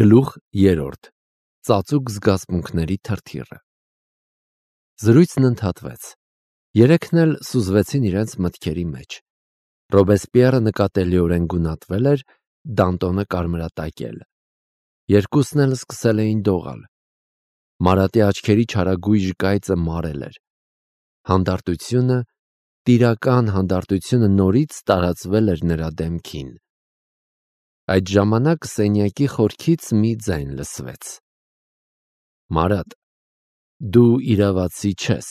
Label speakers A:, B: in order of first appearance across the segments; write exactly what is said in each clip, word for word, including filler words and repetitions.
A: Գլուխ երրորդ. Ծածուկ զգացմունքների թրթիռը։ Զրույցն ընդհատվեց։ Երեքն էլ սուզվեցին իրենց մտքերի մեջ։ Ռոբեսպիերը նկատելիորեն գունատվել էր, Դանտոնը կարմրատակել։ Երկուսն էլ սկսել էին դողալ։ Մարատի աչքերի չարագույժ կայծը մարել էր։ Հանդարտությունը, տիրական հանդարտությունը նորից տարածվել էր նրա դեմքին։ Այդ ժամանակ սենյակի խորքից մի ձայն լսվեց. Մարատ, դու իրավացի չես։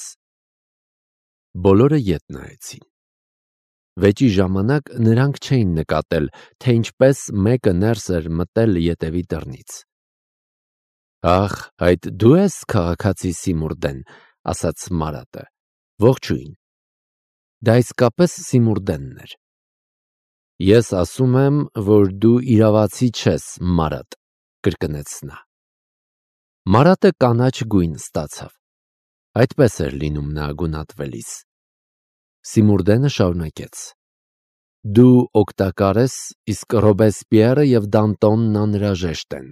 A: Բոլորը ետ նայեցին։ Վեճի ժամանակ նրանք չէին նկատել, թե ինչպես մեկը ներս էր մտել ետևի դռնից։ Ախ, այդ դու ես քաղաքացի Սիմուրդեն, ասաց Մարատը։ Ողջույն։ Դա իսկապես Սիմուրդենն էր։ Ես ասում եմ, որ դու իրավացի չես, Մարատ, կրկնեց նա։ Մարատը կանաչ գույն ստացավ։ Այդպես էր լինում նա գունատվելիս։ Սիմուրդենը շարունակեց. Դու օգտակար ես, իսկ Ռոբեսպիերը և Դանտոնն անհրաժեշտ են։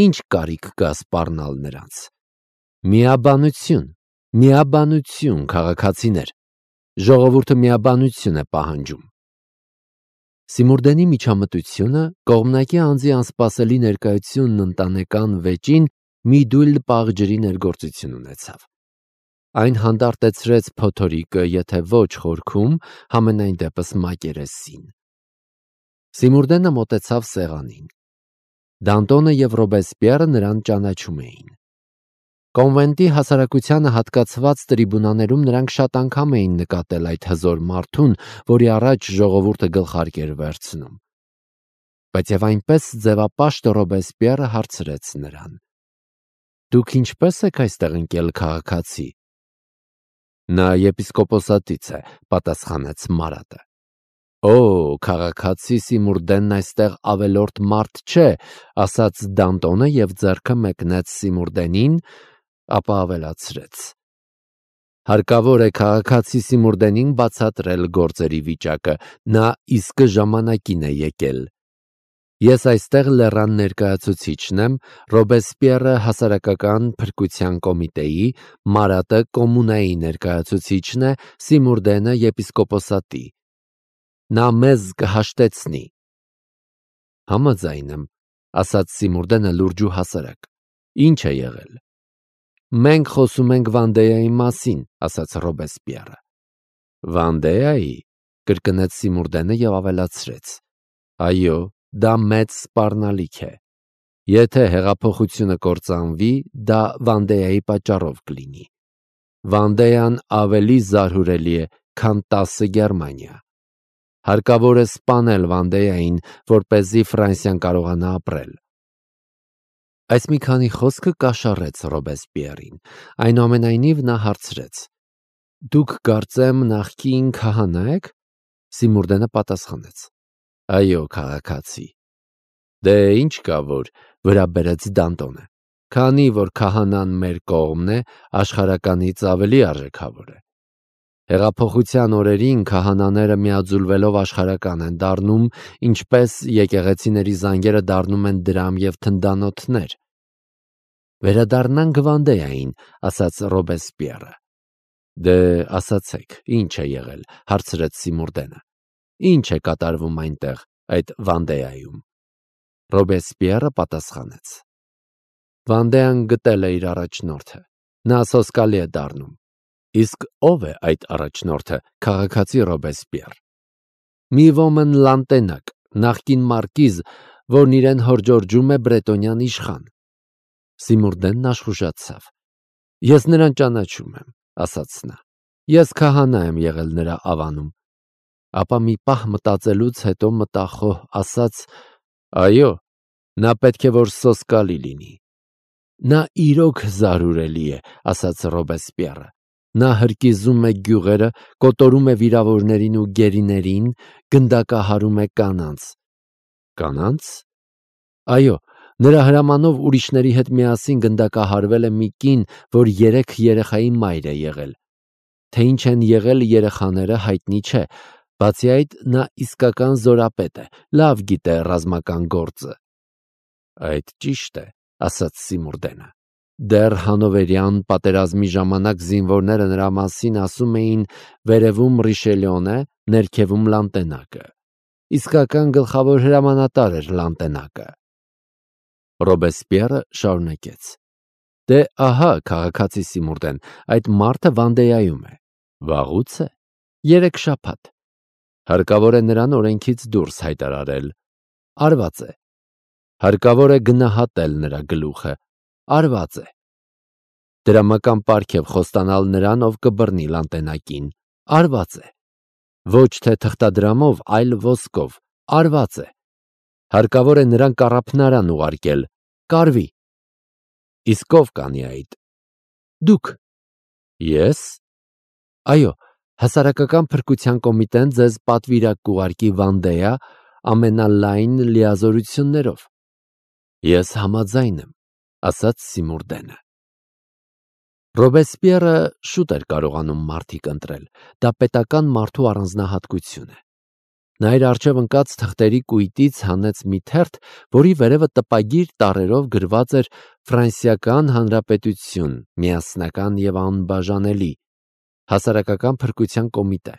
A: Ինչ կարիք կա սպառնալ նրանց։ Միաբանություն, միաբանություն, քաղաքացիներ։ Ժողովուրդը միաբանություն է պահանջում։ Սիմուրդենի միջամտությունը, կողմնակի անձի անսպասելի ներկայությունն ընտանեկան վեճին մի դույլ պաղ ջրի ներգործություն ունեցավ։ Այն հանդարտեցրեց փոթորիկը, եթե ոչ խորքում, համենայն դեպս մակերեսին։ Սիմուրդենը մոտեցավ սեղանին։ Դանտոնը և Ռոբեսպիերը նրան ճանաչում էին։ Կոնվենտի հասարակությանը հատկացված տրիբունաներում նրանք շատ անգամ էին նկատել այդ հզոր մարդուն, որի առաջ ժողովուրդը գլխարկ էր վերցնում։ Բայց և այնպես ձևապաշտ Ռոբեսպիերը հարցրեց նրան. Դուք ինչպես եք այստեղ ընկել, քաղաքացի։ Նա եպիսկոպոսատից է, պատասխանեց Մարատը։ Օ, քաղաքացի Սիմուրդենն այստեղ ավելորդ մարդ չէ, ասաց Դանտոնը և ձեռքը մեկնեց Սիմուրդենին, ապա ավելացրեց. Հարկավոր է քաղաքացի Սիմուրդենին բացատրել գործերի վիճակը, նա իսկ ժամանակին է եկել։ Ես այստեղ լեռան ներկայացուցիչն եմ, Ռոբեսպիերը հասարակական փրկության կոմիտեի, Մարատը կոմունայի ներկայացուցիչն է, Սիմուրդենը եպիսկոպոսատի։ Նա մեզ կհաշտեցնի։ Համաձայն եմ, ասաց Սիմուրդենը լուրջ ու հասարակ։ Ինչ է եղել։ Մենք խոսում ենք Վանդեայի մասին, ասաց Ռոբեսպիերը։ Վանդեայի, կրկնեց Սիմուրդենը և ավելացրեց. Այո, դա մեծ սպառնալիք է։ Եթե հեղափոխությունը կործանվի, դա Վանդեայի պատճառով կլինի։ Վանդեան ավելի զարհուրելի է, քան տասը Գերմանիա։ Հարկավոր է սպանել Վանդեային, որպեսզի Ֆրանսիան կարողանա ապրել։ Այս մի քանի խոսքը կաշառեց Ռոբեսպիերին, այնուամենայնիվ նա հարցրեց. Դուք կարծեմ նախկին քահանա եք։ Սիմուրդենը պատասխանեց. Այո, քաղաքացի։ Դե ինչ կա որ, վրա բերեց Դանտոնը, քանի որ քահանան մեր կողմն է, աշխարհականից ավելի արժեքավոր է։ Հեղափոխության օրերին քահանաները միաձուլվելով աշխարհական են դառնում, ինչպես եկեղեցիների զանգերը դառնում են դրամ և թնդանոթներ։ Վերադառնանք Վանդեային, ասաց Ռոբեսպիերը։ Դե ասացեք, ինչ է եղել, հարցրեց Սիմուրդենը։ Ինչ է կատարվում այնտեղ, այդ Վանդեայում։ Ռոբեսպիերը պատասխանեց. Վանդեան գտել է իր առաջնորդը։ Նա սոսկալի է դառնում։ Իսկ ով է այդ առաջնորդը, քաղաքացի Ռոբեսպիեր։ Մի ոմն Լանտենակ, նախկին մարկիզ, որն իրեն հորդորջում է բրետոնյան իշխան։ Սիմուրդենն աշխուժացավ։ Ես նրան ճանաչում եմ, ասաց նա։ Ես քահանա եմ եղել նրա ավանում։ Ապա մի պահ մտածելուց հետո մտախոհ ասաց. Այո, նա պետք է որ սոսկալի լինի։ Նա իրոք զարհուրելի է, ասաց Ռոբեսպիերը։ Նա հրկիզում է գյուղերը, կոտորում է վիրավորներին ու գերիներին, գնդակահարում է կանանց։ Կանանց։ Այո, նրա հրամանով ուրիշների հետ միասին գնդակահարվել է մի կին, որ երեք երեխայի մայր է եղել։ Թե ինչ են եղել երեխաները, հայտնի չէ, բացի այդ նա իսկական զորապետ է, լավ գիտե ռազմական գործը։ Այդ ճիշտ է, ասաց Սիմուրդենը։ Դեռ Հանովերյան պատերազմի ժամանակ զինվորները նրա մասին ասում էին վերևում Ռիշելյոն է, ներքևում Լանտենակը։ Իսկական գլխավոր հրամանատար էր Լանտենակը։ Ռոբեսպիերը շարունակեց. Դե ահա, քաղաքացի Սիմուրդեն, այդ մարդը Վանդեայում է։ Վաղուց է։ Երեք շաբաթ։ Հարկավոր է նրան օրենքից դուրս հայտարարել։ Արված է։ Հարկավոր է գնահատել նրա գլուխը։ Արված է։ Դրամական պարգև խոստանալ նրան, ով կբռնի Լանտենակին։ Արված է։ Ոչ թե թղթադրամով, այլ ոսկով։ Արված է։ Հարկավոր է նրան կառափնարան ուղարկել։ Կարվի։ Իսկ ով կանի այդ։ Դուք։ Ես։ Այո, հասարակական փրկության կոմիտեն ձեզ պատվիրակ կուղարկի Վանդեա ամենալայն լիազորություններով։ Ես համաձայն եմ, ասաց Սիմուրդենը։ Ռոբեսպիերը շուտ էր կարողանում մարդիկ ընտրել, դա պետական մարդու առանձնահատկություն է։ Նա իր առջև ընկած թղթերի կույտից հանեց մի թերթ, որի վերևը տպագիր տառերով գրված էր Ֆրանսիական Հանրապետություն, միասնական և անբաժանելի, հասարակական փրկության կոմիտե։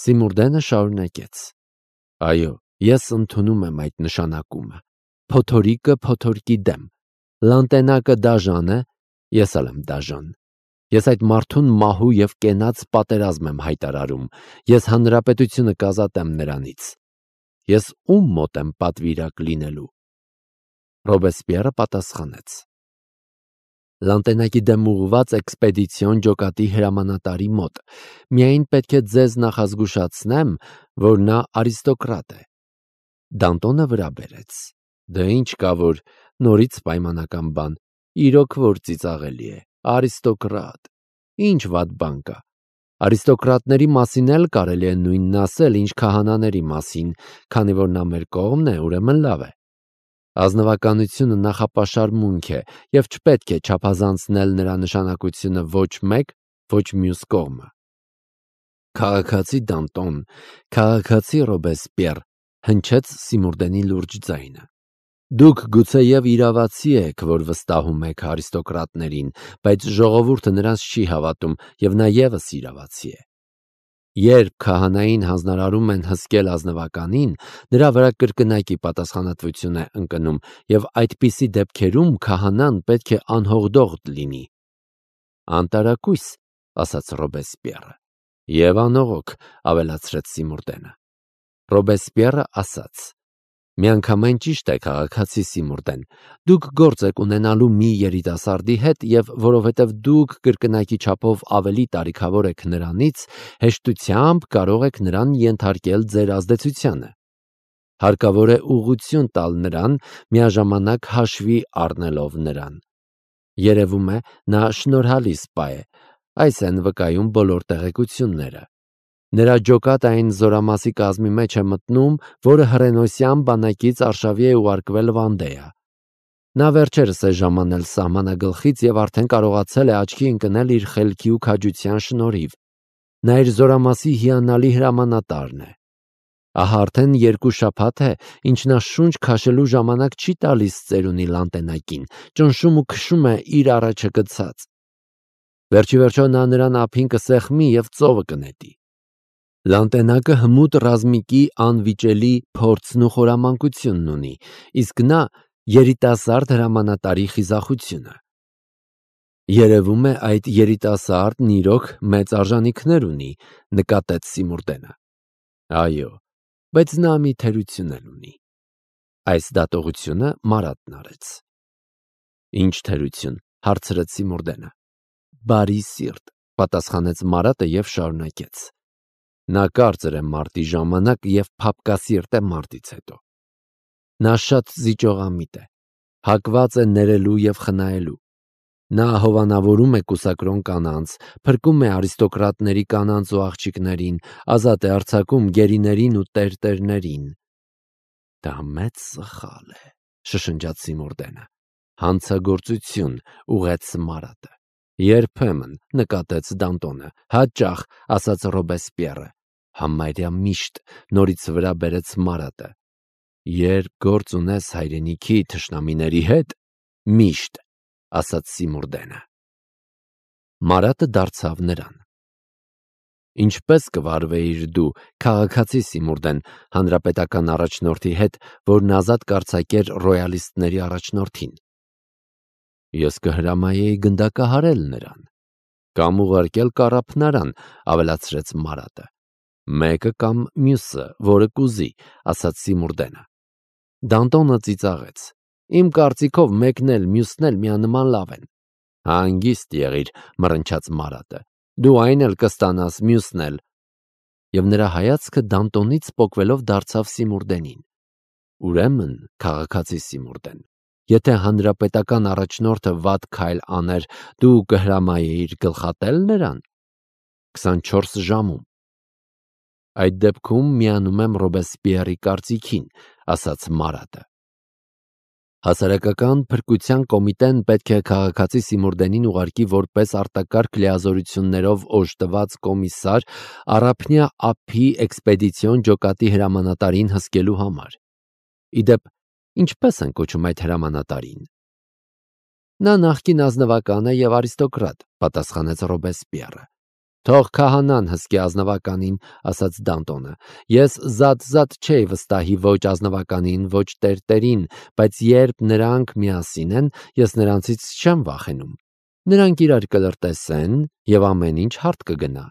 A: Սիմուրդենը շարունակեց. Այո, ես ընդունում եմ այդ նշանակումը։ Փոթորիկը փոթորկի դեմ։ Լանտենակը դաժան է, ես էլ եմ դաժան։ Ես այդ մարդուն մահու և կենաց պատերազմ եմ հայտարարում։ Ես հանրապետությունը կազատեմ նրանից։ Ես ում մոտ եմ պատվիրակ լինելու։ Ռոբեսպիերը պատասխանեց. Լանտենակի դեմ ուղղված էքսպեդիցիոն ջոկատի հրամանատարի մոտ։ Միայն պետք է ձեզ նախազգուշացնեմ, որ նա արիստոկրատ է։ Դանտոնը վրա բերեց. Դե ինչ կա, որ նորից պայմանական բան, իրոք որ ծիծաղելի է, արիստոկրատ, ինչ վատ բան կա։ Արիստոկրատների մասին էլ կարելի է նույնն ասել, ինչ քահանաների մասին, քանի որ նա մեր կողմն է, ուրեմն լավ է։ Ազնվականությունը նախապաշարմունք է, և չպետք է չափազանցնել նրա նշանակությունը ոչ մեկ, ոչ մյուս կողմը։ Քաղաքացի Դանտոն, քաղաքացի Ռոբեսպիեր, հնչեց Սիմուրդենի լուրջ ձայնը։ Դուք գուցեև իրավացի եք, որ վստահում եք արիստոկրատներին, բայց ժողովուրդը նրանց չի հավատում, և նա ևս իրավացի է։ Երբ քահանային հանձնարարում են հսկել ազնվականին, նրա վրա կրկնակի պատասխանատվություն է ընկնում, և այդպիսի դեպքերում քահանան պետք է անհողդող լինի։ Անտարակույս, ասաց Ռոբեսպիերը։ Եվ անողոք, ավելացրեց Սիմուրդենը։ Ռոբեսպիերը ասաց. Միանգամայն ճիշտ է, քաղաքացի Սիմուրդեն, դուք գործ եք ունենալու մի երիտասարդի հետ, և որովհետև դուք կրկնակի չափով ավելի տարիքավոր եք նրանից, հեշտությամբ կարող եք նրան ենթարկել ձեր ազդեցությանը։ Հարկավոր է ուղղություն տալ նրան, միաժամանակ հաշվի առնելով նրան։ Երևում է, նա շնորհալի սպա է, այս են վկայում բոլոր տեղեկությունները։ Նրա ջոկատը այն զորամասի կազմի մեջ է մտնում, որը հռենոսյան բանակից արշավի է ուղարկվել Վանդեա։ Նա վերջերս է ժամանել սահմանագլխից և արդեն կարողացել է աչքի ընկնել իր խելքի ու քաջության շնորհիվ։ Նա իր զորամասի հիանալի հրամանատարն է։ Ահա արդեն երկու շաբաթ է, ինչ նա շունչ քաշելու ժամանակ չի տալիս ծերունի Լանտենակին, ճնշում ու քշում է իր առաջը գցած։ Վերջիվերջո նա նրան ափին կսեղմի և ծովը կնետի։ Լանտենակը հմուտ ռազմիկի անվիճելի փորձն ու խորամանկությունն ունի, իսկ նա երիտասարդ հրամանատարի խիզախությունը։ Երևում է, այդ երիտասարդն իրոք մեծ արժանիքներ ունի, նկատեց Սիմուրդենը։ Այո, բայց նա մի թերություն էլ ունի։ Այս դատողությունը Մարատն արեց։ Ինչ թերություն, հարցրեց Սիմուրդենը։ Բարի սիրտ, պատասխանեց Մարատը և շարունակեց։ Նա կարծր է մարտի ժամանակ և փափկասիրտ է մարտից հետո։ Նա շատ զիջողամիտ է, հակված է ներելու և խնայելու։ Նա հովանավորում է կուսակրոն կանանց, փրկում է արիստոկրատների կանանց ու աղջիկներին, ազատ է արձակում գերիներին ու տերտերներին։ Դա մեծ սխալ է, շշնջաց Սիմուրդենը։ Հանցագործություն, ուղղեց Մարատը։ Երբեմն, նկատեց Դանտոնը, հաճախ, ասաց Ռոբեսպիերը։ Համարյա միշտ, նորից վրա բերեց Մարատը։ Երբ գործ ունես հայրենիքի թշնամիների հետ, միշտ, ասաց Սիմուրդենը։ Մարատը դարձավ նրան. Ինչպես կվարվեիր դու, քաղաքացի Սիմուրդեն, հանրապետական առաջնորդի հետ, որն ազատ կարձակեր ռոյալիստների առաջնորդին։ Ես կհրամայեի գնդակահարել նրան, կամ ուղարկել կառափնարան, ավելացրեց Մարատը։ Մեկը կամ մյուսը, որը կուզի, ասաց Սիմուրդենը։ Դանտոնը ծիծաղեց. Իմ կարծիքով մեկն էլ մյուսն էլ միանման լավ են։ Հանգիստ եղիր, մռնչաց Մարատը։ Դու այն էլ կստանաս, մյուսն էլ։ Եվ նրա հայացքը Դանտոնից պոկվելով դարձավ Սիմուրդենին։ Ուրեմն, քաղաքացի Սիմուրդեն, եթե հանրապետական առաջնորդը վատ քայլ աներ, դու կհրամայեիր գլխատել նրան քսանչորս ժամում։ Այդ դեպքում միանում եմ Ռոբեսպիերի կարծիքին, ասաց Մարատը։ Հասարակական փրկության կոմիտեն պետք է քաղաքացի Սիմուրդենին ուղարկի որպես արտակարգ լիազորություններով օժտված կոմիսար Առափնյա ափի էքսպեդիցիոն ջոկատի հրամանատարին հսկելու համար։ Իդեպ, ինչպես են կոչում այդ հրամանատարին։ Նա նախկին ազնվական է և արիստոկրատ, պատասխանեց Ռոբեսպիերը։ Թող քահանան հսկի ազնվականին, ասաց Դանտոնը։ Ես զատ-զատ չէի վստահի ոչ ազնվականին, ոչ տերտերին, բայց երբ նրանք միասին են, ես նրանցից չեմ վախենում։ Նրանք իրար կլրտեսեն և ամեն ինչ հարթ կգնա։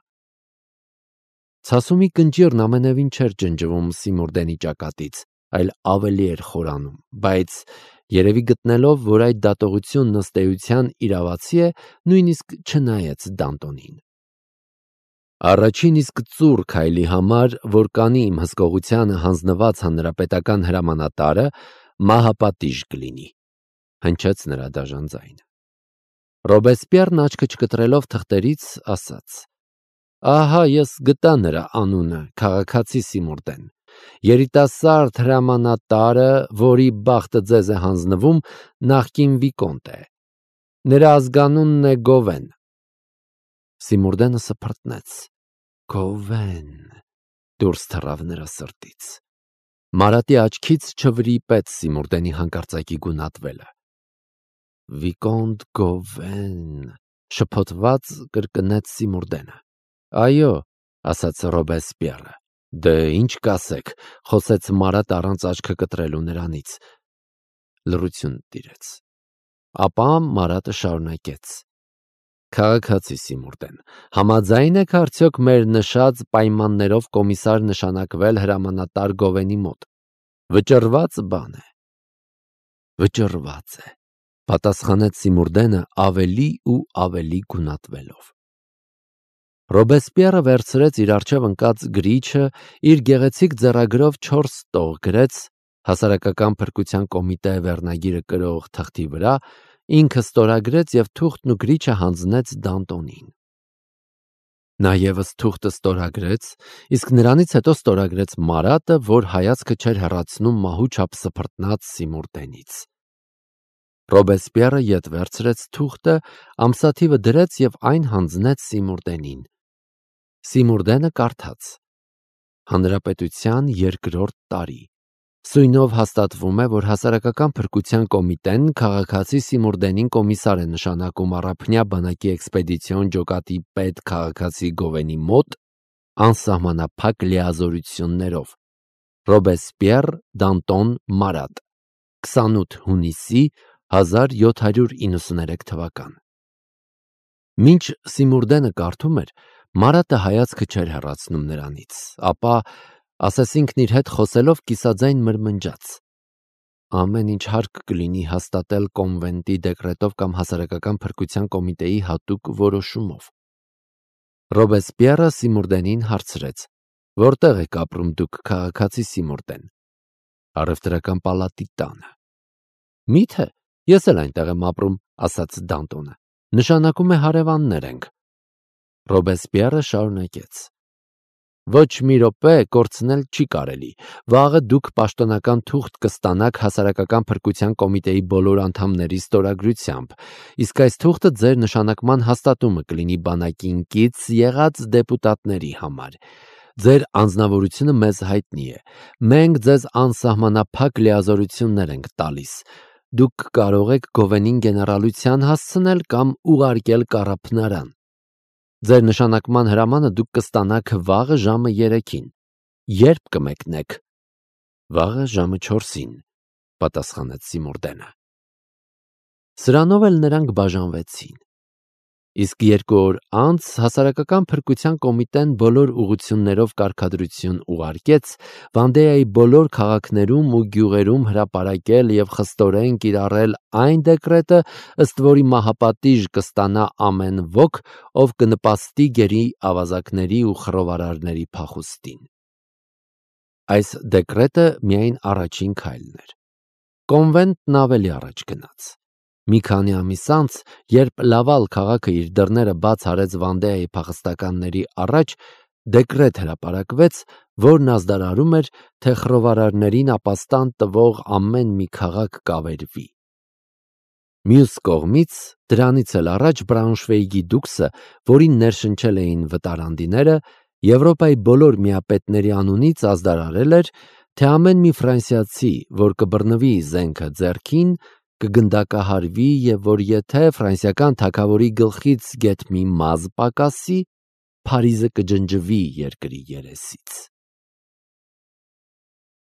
A: Ցասումի կնճիռն ամենևին չէր ջնջվում Սիմուրդենի ճակատից, այլ ավելի էր խորանում, բայց երևի գտնելով, որ այդ դատողությունն ըստ էության իրավացի է, նույնիսկ չնայեց Դանտոնին։ Առաջին իսկ ծուռ քայլի համար, որ կանի իմ հսկողությանը հանձնված հանրապետական հրամանատարը, մահապատիժ կլինի, հնչեց նրա դաժան ձայնը։ Ռոբեսպիերն աչքը չկտրելով թղթերից ասաց. Ահա ես գտա նրա անունը, քաղաքացի Սիմուրդեն, երիտասարդ հրամանատարը, որի բախտը ձեզ է հանձնվում, նախկին վիկոնտ է։ Նրա ազգանունն է Գովեն։ Սիմուրդենը սփռտնեց։ Գովեն, դուրս թռավ նրա սրտից։ Մարատի աչքից չվրիպեց Սիմուրդենի հանկարծակի գունատվելը։ Վիկոնտ Գովեն, շփոթված կրկնեց Սիմուրդենը։ Այո, ասաց Ռոբեսպիերը։ Դե ինչ կասեք, խոսեց Մարատ առանց աչքը կտրելու նրանից։ Լռություն տիրեց։ Ապա Մարատը շարունակեց. Քաղաքացի Սիմուրդեն, համաձայն եք արդյոք մեր նշած պայմաններով կոմիսար նշանակվել հրամանատար Գովենի մոտ։ Վճռված բան է։ Վճռված է, պատասխանեց Սիմուրդենը ավելի ու ավելի գունատվելով։ Ռոբեսպիերը վերցրեց իր առջև ընկած գրիչը, իր գեղեցիկ ձեռագրով չորս տող գրեց, հասարակական փրկության կոմիտե վերնագիրը կրող թղթի վրա, ինքը ստորագրեց և թուղթն ու գրիչը հանձնեց Դանտոնին։ Նա ևս թուղթը ստորագրեց, իսկ նրանից հետո ստորագրեց Մարատը, որ հայացքը չէր հեռացնում մահու չափ սփռտնած Սիմուրդենից։ Ռոբեսպիերը ետ վերցրեց թուղթը, ամսաթիվը դրեց և այն հանձնեց Սիմուրդենին։ Սիմուրդենը կարդաց. Հանրապետության երկրորդ տարի։ Սույնով հաստատվում է, որ հասարակական փրկության կոմիտեն քաղաքացի Սիմուրդենին կոմիսար է նշանակում Առափնյա բանակի էքսպեդիցիոն ջոկատի պետ քաղաքացի Գովենի մոտ անսահմանափակ լիազորություններով։ Ռոբեսպիեր Դանտոն Մարատ, քսանութ հունիսի հազար յոթ հարյուր իննսուներեք թվական։ Մինչ Սիմուրդենը կարդում էր, Մարատը հայացքը չէր հեռացնում նրանից, ապա, ասես ինքն իր հետ խոսելով, կիսաձայն մրմնջաց. Ամեն ինչ հարկ կլինի հաստատել կոնվենտի դեկրետով կամ հասարակական փրկության կոմիտեի հատուկ որոշումով։ Ռոբեսպիերը Սիմուրդենին հարցրեց. Որտեղ եք ապրում դուք, քաղաքացի Սիմուրդեն։ Առևտրական պալատի տանը։ Միթե, ես էլ այնտեղ եմ ապրում, ասաց Դանտոնը։ Նշանակում է հարևաններ ենք։ Ռոբեսպիերը շարունակեց. Ոչ մի րոպե կորցնել չի կարելի։ Վաղը դուք պաշտոնական թուղթ կստանաք հասարակական փրկության կոմիտեի բոլոր անդամների ստորագրությամբ, իսկ այս թուղթը ձեր նշանակման հաստատումը կլինի բանակին կից եղած դեպուտատների համար։ Ձեր անձնավորությունը մեզ հայտնի է։ Մենք ձեզ անսահմանափակ լիազորություններ ենք տալիս։ Դուք կարող եք Գովենին գեներալության հասցնել կամ ուղարկել կառափնարան։ Ձեր նշանակման հրամանը դուք կստանաք վաղը ժամը երեքին։ Երբ կմեկնեք։ Վաղը ժամը չորսին, պատասխանեց Սիմուրդենը։ Սրանով էլ նրանք բաժանվեցին։ Իսկ երկու օր անց հասարակական փրկության կոմիտեն բոլոր ուղղություններով կարգադրություն ուղարկեց Վանդեայի բոլոր քաղաքներում ու գյուղերում հրապարակել եւ խստորեն կիրառել այն դեկրետը, ըստ որի մահապատիժ կստանա ամեն ոք, ով կնպաստի գերի ավազակների ու խռովարարների փախուստին։ Այս դեկրետը միայն առաջին քայլն էր։ Կոնվենտն ավելի առաջ գնաց։ Մի քանի ամիս անց, երբ Լավալ քաղաքը իր դռները բաց արեց Վանդեայի փախստականների առաջ, դեկրետ հրապարակվեց, որն ազդարարում էր, թե խռովարարներին ապաստան տվող ամեն մի քաղաք կավերվի։ Մյուս կողմից, դրանից էլ առաջ Բրաունշվեիգի դուքսը, որին ներշնչել էին վտարանդիները, Եվրոպայի բոլոր միապետների անունից ազդարարել էր, թե ամեն մի ֆրանսիացի, որ կբռնվի զենքը ձեռքին, կգնդակահարվի եւ որ եթե ֆրանսիական թագավորի գլխից գեթ մի մազ պակասի, Փարիզը կջնջվի երկրի երեսից։